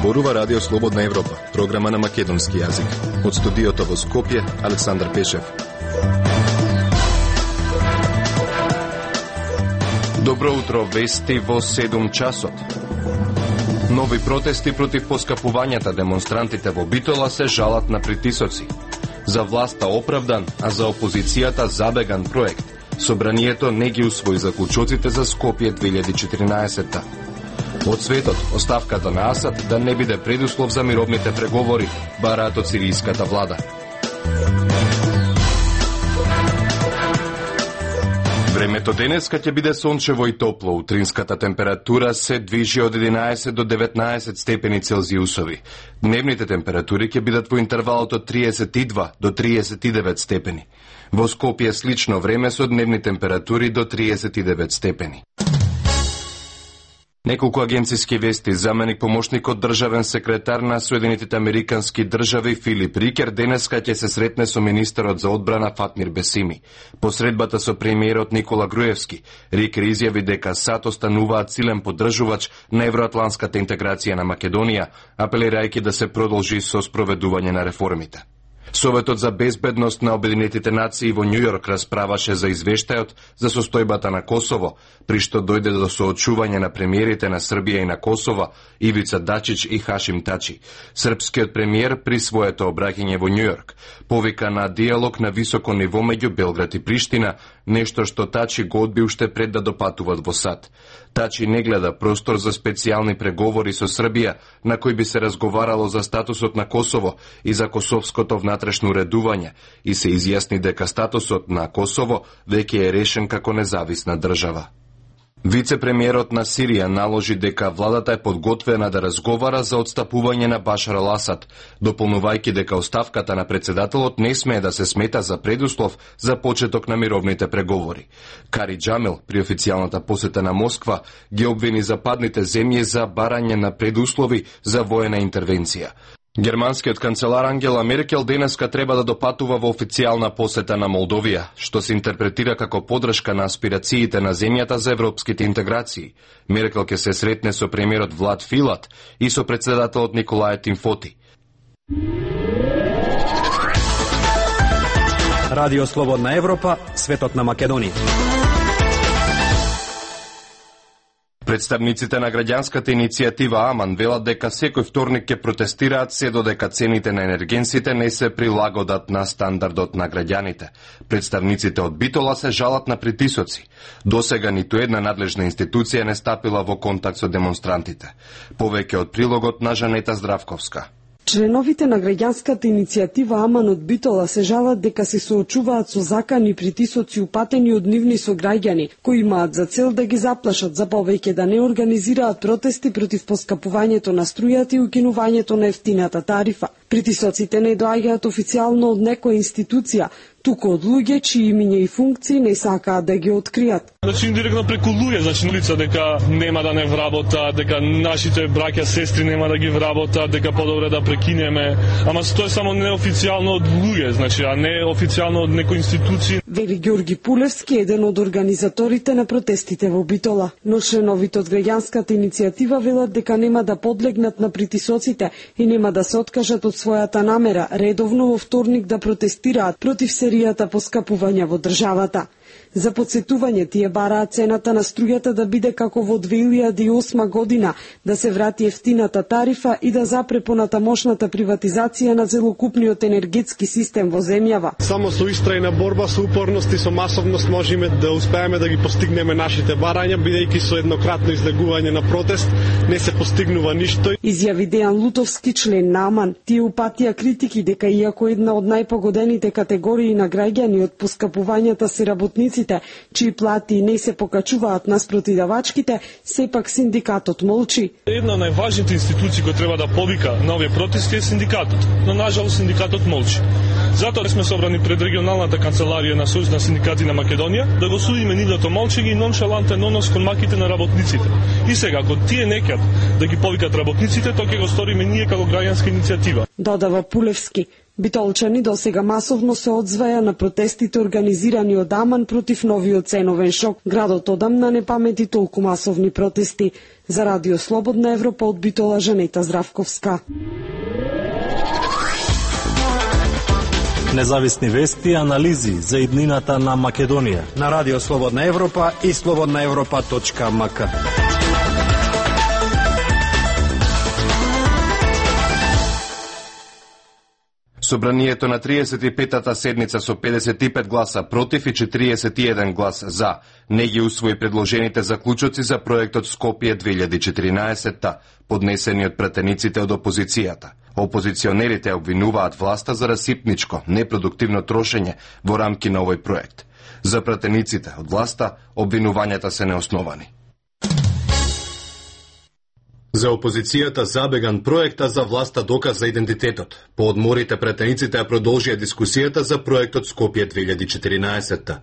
Зборува Радио Слободна Европа, програма на македонски јазик. Од студиото во Скопје, Александар Пешев. Добро утро, вести во 7 часот. Нови протести против поскапувањата. Демонстрантите во Битола се жалат на притисоци. За власта оправдан, а за опозицијата забеган проект. Собранието не ги усвои заклучоците за Скопје 2014. Од светот, оставката на Асад да не биде предуслов за мировните преговори, бараат од сиријската влада. Времето денеска ќе биде сончево и топло. Утринската температура се движи од 11 до 19 степени Целзиусови. Дневните температури ќе бидат во интервалот од 32 до 39 степени. Во Скопје слично време со дневни температури до 39 степени. Неколку агенциски вести. Заменик помошникот државен секретар на Соединетите Американски држави Филип Рикер денеска ќе се сретне со министерот за одбрана Фатмир Бесими. По средбата со премиерот Никола Груевски, Рикер изјави дека САД остануваат силен поддржувач на евроатланската интеграција на Македонија, апелирајќи да се продолжи со спроведување на реформите. Советот за безбедност на Обединетите нации во Њујорк расправаше за извештајот за состојбата на Косово, при што дојде до соочување на премиерите на Србија и на Косова, Ивица Дачич и Хашим Тачи. Српскиот премиер при своето обраќање во Њујорк повика на диалог на високо ниво меѓу Белград и Приштина, нешто што Тачи го одби уште пред да допатуват во САД. Тачи не гледа простор за специјални преговори со Србија, на кои би се разговарало за статусот на Косово и за косовското внатрешно уредување, и се изјасни дека статусот на Косово веќе е решен како независна држава. Вице-премиерот на Сирија наложи дека владата е подготвена да разговара за отстапување на Башар ал-Асад, дополнувајќи дека оставката на председателот не смее да се смета за предуслов за почеток на мировните преговори. Кари Џамил, при официјалната посета на Москва, ги обвини западните земји за барање на предуслови за воена интервенција. Германскиот канцелар Ангела Меркел денеска треба да допатува во официјална посета на Молдовија, што се интерпретира како подршка на аспирациите на земјата за европските интеграции. Меркел ќе се сретне со премиерот Влад Филат и со председателот Николај Тимфоти. Радио Слободна Европа, светот на Македонија. Представниците на граѓанската иницијатива Аман велат дека секој вторник ќе протестираат се додека цените на енергенсите не се прилагодат на стандардот на граѓаните. Представниците од Битола се жалат на притисоци. Досега ниту една надлежна институција не стапила во контакт со демонстрантите. Повеќе од прилогот на Жанета Здравковска. Членовите на граѓанската иницијатива Аман од Битола се жалат дека се соочуваат со закани притисоци упатени од нивни сограѓани, кои имаат за цел да ги заплашат за повеќе да не организираат протести против поскапувањето на струјата и укинувањето на ефтината тарифа. Притисоците не доаѓаат официјално од некоја институција, туку од луѓе чии имиња и функции не сакаат да ги откријат. Значи индиректно преку луѓе, значи улица дека нема да не вработа, дека нашите браќа сестри нема да ги вработа, дека подобре да прекинеме, ама тоа е само неофицијално од луѓе, значи а не официјално од некои институции. Вели Ѓорги Пулевски, еден од организаторите на протестите во Битола. Но членовите од граѓанската иницијатива велат дека нема да подлегнат на притисоците и нема да се откажат од својата намера редовно во вторник да протестираат против серијата поскапувања во државата. За подсетување, тие бараат цената на струјата да биде како во 2008 година, да се врати ефтината тарифа и да запре понатамошната приватизација на целокупниот енергетски систем во земјава. Само со истрајна борба, со упорност и со масовност можеме да успееме да ги постигнеме нашите барања, бидејќи со еднократно излегување на протест не се постигнува ништо. Изјави Дејан Лутовски, член на Аман. Тие упатија критики дека иако една од најпогодените категории на граѓани од поскапувањата се работниците, чии плати не се покачуваат наспроти давачките, сепак синдикатот молчи. Една од најважните институции кои треба да повика на овие протести е синдикатот, но нажалост синдикатот молчи. Затоа сме собрани пред регионалната канцеларија на Сојуз на синдикати на Македонија да го судиме нивното молчење и ноншалантен однос кон маките на работниците. И сега, ако тие некад да ги повикат работниците, тоа ќе го сториме ние како граѓанска иницијатива. Додава Пулевски. Битолчани досега масовно се одзваја на протестите организирани од Аман против новиот ценовен шок. Градот одамна не памети толку масовни протести. За Радио Слободна Европа од Битола, Жанета Здравковска. Независни вести и анализи за иднината на Македонија. На Радио Слободна Европа и slobodnaevropa.mk. Собранието на 35-та седница со 55 гласа против и 41 глас за не ги усвои предложените заклучоци за проектот Скопје 2014, поднесени од пратениците од опозицијата. Опозиционерите обвинуваат власта за расипничко, непродуктивно трошење во рамки на овој проект. За пратениците од власта обвинувањата се неосновани. За опозицијата забеган проект, а за власта доказ за идентитетот. По одморите пратениците ја продолжија дискусијата за проектот Скопје 2014.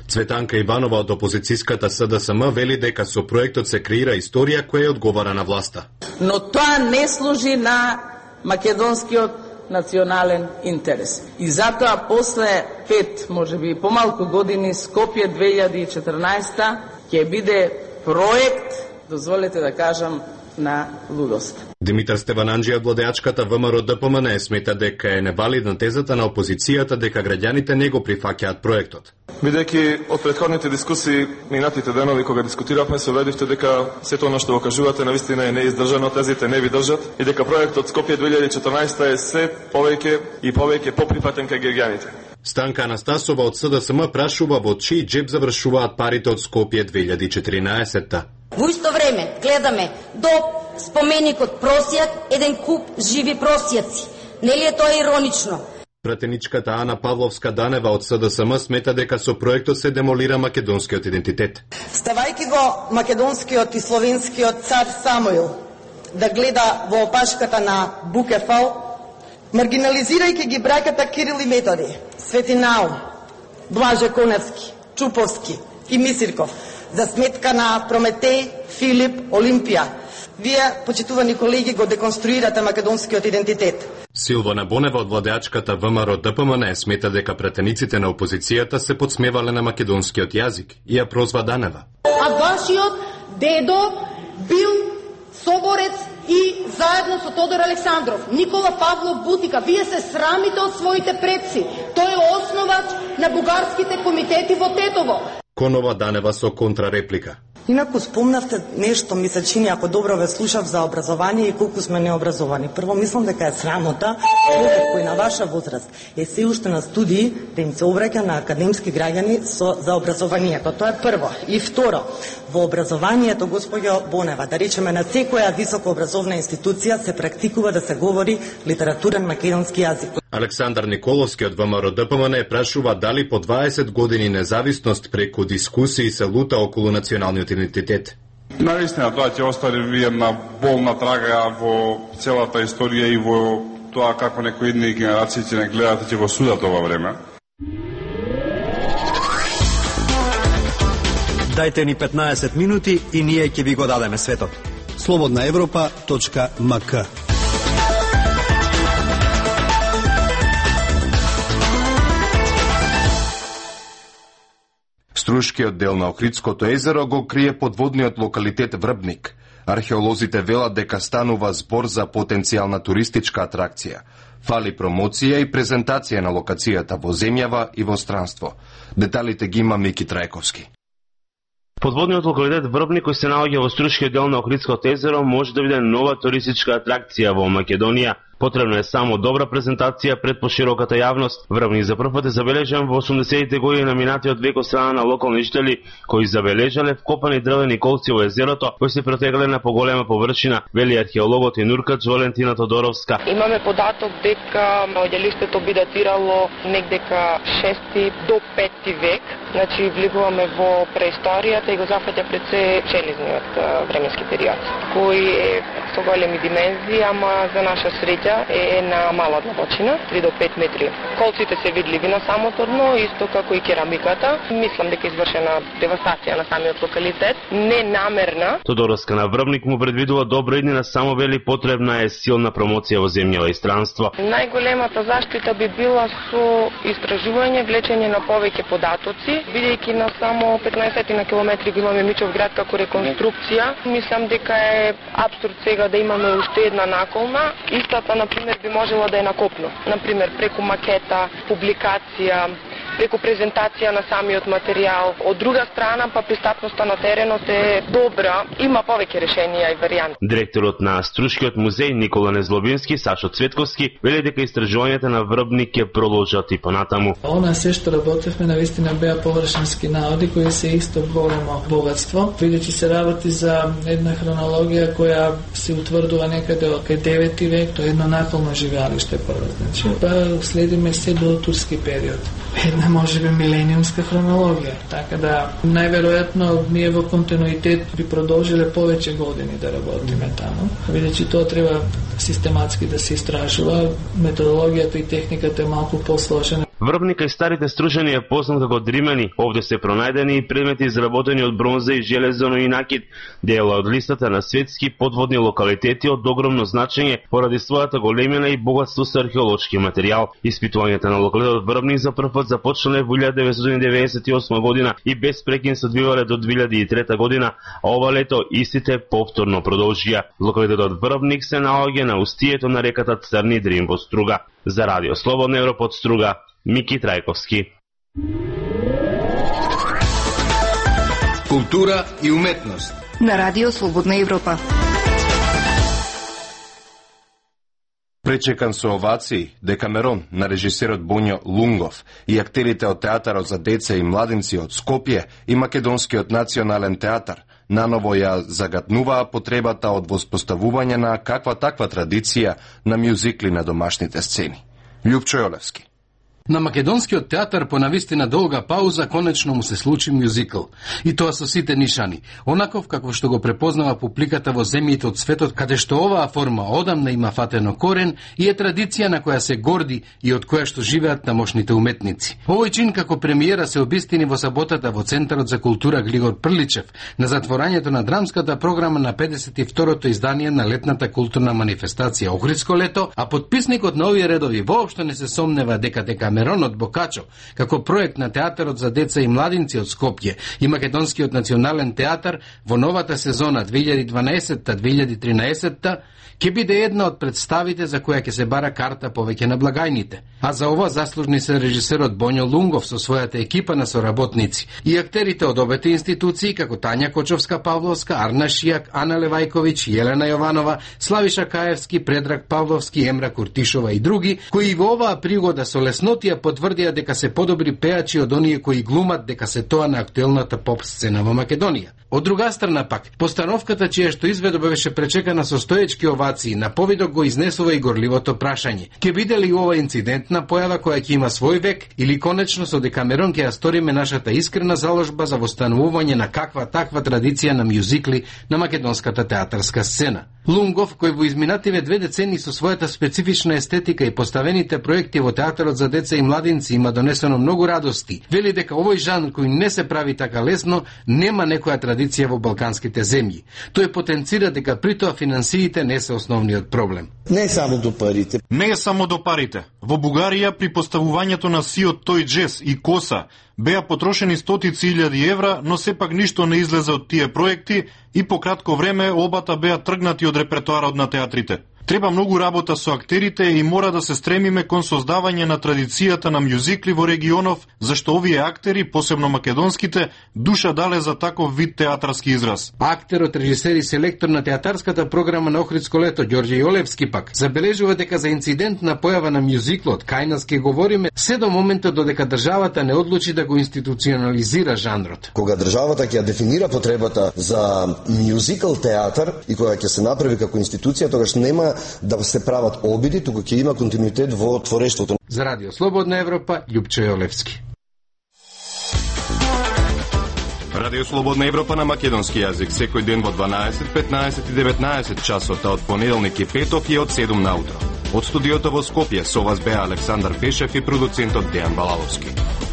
Цветанка Иванова од опозицијската СДСМ вели дека со проектот се креира историја која одговара на власта. Но тоа не служи на македонскиот национален интерес. И затоа после 5, можеби помалку години, Скопје 2014 ќе биде проект, дозволете да кажам, на лудост. Димитар Стевананџи од владеачката ВМРО ДПМН смета дека е невалидна тезата на опозицијата дека граѓаните не го прифаќаат проектот. Бидејќи од претходните дискусии минатите денови кога дискутиравме се убедивте дека сето она што го кажувате навистина е неиздржано, тезите не ви држат и дека проектот Скопје 2014 е се повеќе и повеќе поприфатен кај граѓаните. Станка Анастасова од СДСМ прашува во чиј џеб завршуваат парите од Скопје 2014. Во исто време гледаме до споменикот Просјак еден куп живи просјаци. Нели е тоа иронично? Пратеничката Ана Павловска-Данева од СДСМ смета дека со проектот се демолира македонскиот идентитет. Ставајќи го македонскиот и словенскиот цар Самуил да гледа во опашката на Букефал, маргинализирајќи ги браќата Кирил и Методи, Свети Наум, Блаже Коневски, Чуповски и Мисирков, за сметка на Прометеј, Филип, Олимпија. Вие, почитувани колеги, го деконструирате македонскиот идентитет. Силвана Бонева од владеачката ВМРО ДПМН смета дека пратениците на опозицијата се подсмевале на македонскиот јазик и ја прозва Данева. А вашиот дедо бил соборец и заедно со Тодор Александров, Никола Павлов Бутика. Вие се срамите од своите предци. Тој е основач на бугарските комитети во Тетово. Конова Данева со контрареплика. Инаку спомнавте нешто, ми се чини, ако добро ве слушав, за образование и колку сме необразовани. Прво, мислам дека е срамота човек кој на ваша возраст е се уште на студии да им се обраќа на академски граѓани за образованието. Тоа е прво. И второ, во образованието, госпоѓо Бонева, да речеме на секоја високообразовна институција се практикува да се говори литературен македонски јазик. Александар Николовски од ВМРО ДПМН прашува дали по 20 години независност преку дискусии се лута околу националниот идентитет. Навистина, тоа ќе остави една болна трага во целата историја и во тоа како некои идни генерации ќе не гледат и ќе го судат ова време. Дајте ни 15 минути и ние ќе ви го дадеме светот. slobodnaevropa.mk. Струшкиот дел на Охридското езеро го крие подводниот локалитет Врбник. Археолозите велат дека станува збор за потенцијална туристичка атракција. Фали промоција и презентација на локацијата во земјава и во странство. Деталите ги има Мики Трајковски. Подводниот локалитет Врбник, кој се наоѓа во Струшкиот дел на Охридското езеро, може да биде нова туристичка атракција во Македонија. Потребна е само добра презентација пред пошироката јавност. Врбник за прв пат е забележан во 80-те години на минатиот век од страна на локални жители, кои забележале вкопани дрвени колци во езерото, кои се протегале на поголема површина, вели археологот и нуркач Валентина Тодоровска. Имаме податок дека наоѓалиштето би датирало некдека 6 до 5 век. Значи влегуваме во преисторијата и го зафаќа пред се железниот временски период, кој е со големи димензии, ама за наша среќа конструкција е на мала длабочина, 3 до 5 метри. Колците се видливи на самото дно, исто како и керамиката. Мислам дека е извршена девастација на самиот локалитет, ненамерна. Тодороска на Врбник му предвидува добро иднина, само вели потребна е силна промоција во земјава и странство. Најголемата заштита би била со истражување, влечење на повеќе податоци, бидејќи на само 15 на километри го имаме Мичов град како реконструкција. Мислам дека е абсурд сега да имаме уште една наколна. Истата, например, би можела да е на копно. Например, преку макета, публикација, преку презентација на самиот материјал. Од друга страна, па пристапноста на теренот е добра, има повеќе решенија и варијанти. Директорот на Струшкиот музеј Никола Незлобински, Сашо Цветковски, вели дека истражувањата на Врбник ќе продолжат и понатаму. Она се што работевме навистина беа површински наоди кои се исто големо богатство. Бидејќи се работи за една хронологија која се утврдува некаде од 9 век, тоа е едно наколно живеалиште прво, значи. Па следиме се до турски период. Една можеби милениумска хронологија. Така да најверојатно ние во континуитет би продолжиле повеќе години да работиме таму. Бидејќи тоа треба систематски да се истражува, методологијата и техниката е малку посложена. Врбника и старите стружени е познат како Дримани. Овде се пронајдени и предмети изработени од бронза и железено и накид, дела од листата на светски подводни локалитети од огромно значење поради својата големина и богатство со археолошки материјал. Испитувањата на локалитетот Врбник за прв пат започнале во 1998 година и без прекин се одвивале до 2003 година, а ова лето истите повторно продолжија. Локалитетот Врбник се наоѓа на устието на реката Црни Дрим во Струга. За Радио Слободна Европа од Струга, Мики Трајковски. Култура и уметност на Радио Слободна Европа. Пречекан со овации, Декамерон на режисерот Боњо Лунгов и актерите од Театарот за деца и младинци од Скопје и Македонскиот национален театар наново ја загатнуваа потребата од воспоставување на каква таква традиција на мюзикли на домашните сцени. Љупчо Јолевски. На Македонскиот театар по навистина долга пауза конечно му се случи мюзикл. И тоа со сите нишани. Онаков како што го препознава публиката во земјите од светот, каде што оваа форма одамна има фатено корен и е традиција на која се горди и од која што живеат тамошните уметници. Овој чин како премиера се обистини во саботата во Центарот за култура Глигор Прличев на затворањето на драмската програма на 52-то издание на летната културна манифестација Охридско лето, а подписникот на овие редови воопшто не се сомнева дека Декамерон од Бокачо, како проект на Театарот за деца и младинци од Скопје и Македонскиот национален театар во новата сезона 2012-2013 ќе биде една од представите за која ќе се бара карта повеќе на благајните. А за ова заслужни се режисерот Боњо Лунгов со својата екипа на соработници и актерите од обете институции како Тања Кочовска-Павловска, Арна Шијак, Ана Левајковиќ, Јелена Јованова, Славиша Каевски, Предраг Павловски, Емра Куртишова и други, кои во оваа пригода со леснотија потврдија дека се подобри пеачи од оние кои глумат дека се тоа на актуелната поп сцена во Македонија. Од друга страна пак, постановката чија што изведба беше пречекана со стоечки овации, на повидок го изнесува и горливото прашање: ќе биде ли ова инцидентна појава која ќе има свој век или конечно со Декамерон ќе ја сториме нашата искрена заложба за востанувување на каква таква традиција на мюзикли на македонската театарска сцена? Лунгов, кој во изминативе 2 децени со својата специфична естетика и поставените проекти во Театарот за деца и младинци има донесено многу радости, вели дека овој жанр кој не се прави така лесно нема некоја традиција во балканските земји. Тој потенцира дека при тоа финансиите не се основниот проблем. Не е само до парите. Не е само до парите. Во Бугарија при поставувањето на сиот тој джез и коса беа потрошени стотици илјади евра, но сепак ништо не излезе од тие проекти и по кратко време обата беа тргнати од репертоарот на театрите. Треба многу работа со актерите и мора да се стремиме кон создавање на традицијата на мюзикли во регионов, зашто овие актери, посебно македонските, душа дале за таков вид театарски израз. Актерот, режисер и селектор на театарската програма на Охридско лето Ѓорѓе Јолевски пак забележува дека за инцидентна појава на мюзиклот кај нас ке говориме се до моментот додека државата не одлучи да го институционализира жанрот. Кога државата ќе дефинира потребата за мюзикл театар и кога ќе се направи како институција, тогаш нема да се прават обиди, туку ќе има континуитет во творештвото. За Радио Слободна Европа, Љупчо Јолевски. Радио Слободна Европа на македонски јазик секој ден во 12, 15 и 19 часот, од понеделник и петок и од 7 наутро. Од студиото во Скопје со вас беа Александар Пешев и продуцентот Дејан Балаловски.